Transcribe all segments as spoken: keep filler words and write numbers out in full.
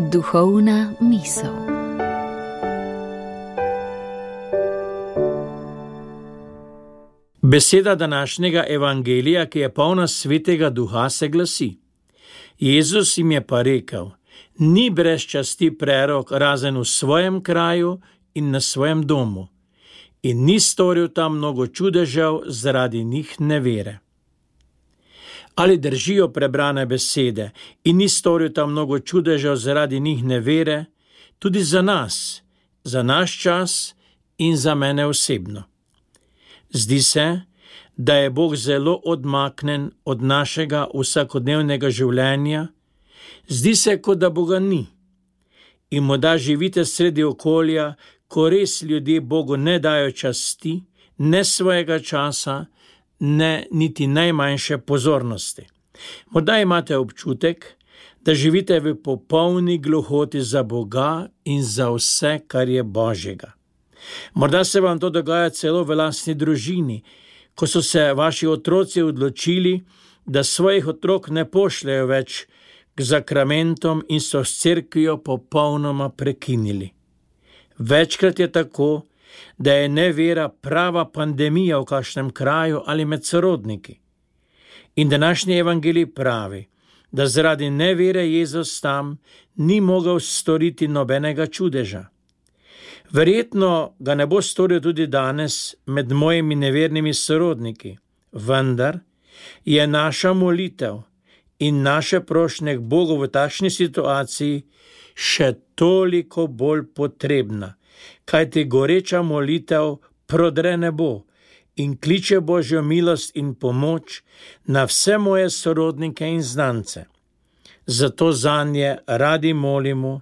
Duhovna misel. Beseda današnjega evangelija, ki je polna svetega duha, se glasi: Jezus jim je pa rekel: ni brez časti prerok razen v svojem kraju in na svojem domu, in ni storil tam mnogo čudežev zaradi njih nevere. Ali držijo prebrane besede in ni storil tam mnogo čudežev zaradi njih nevere, tudi za nas, za naš čas in za mene osebno. Zdi se, da je Bog zelo odmaknen od našega vsakodnevnega življenja, zdi se, kot da Boga ni. In morda živite sredi okolja, ko res ljudje Bogu ne dajo časti, ne svojega časa, ne niti najmanjše pozornosti. Morda imate občutek, da živite v popolni gluhoti za Boga in za vse, kar je Božjega. Morda se vam to dogaja celo v lastni družini, ko so se vaši otroci odločili, da svojih otrok ne pošljejo več k zakramentom in so s cerkvijo popolnoma prekinili. Večkrat je tako, da je nevera prava pandemija v kakšnem kraju ali med sorodniki. In današnji evangelij pravi, da zaradi nevere Jezus tam ni mogel storiti nobenega čudeža. Verjetno ga ne bo storil tudi danes med mojimi nevernimi sorodniki, vendar je naša molitev in naše prošnje k Bogu v takšni situaciji še toliko bolj potrebna, kajti goreča molitev prodre nebo in kliče Božjo milost in pomoč na vse moje sorodnike in znance. Zato zanje radi molimo,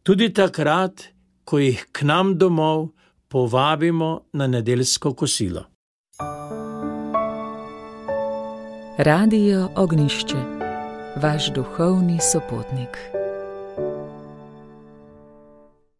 tudi takrat, ko jih k nam domov povabimo na nedeljsko kosilo. Radio Ognjišče, vaš duhovni sopotnik.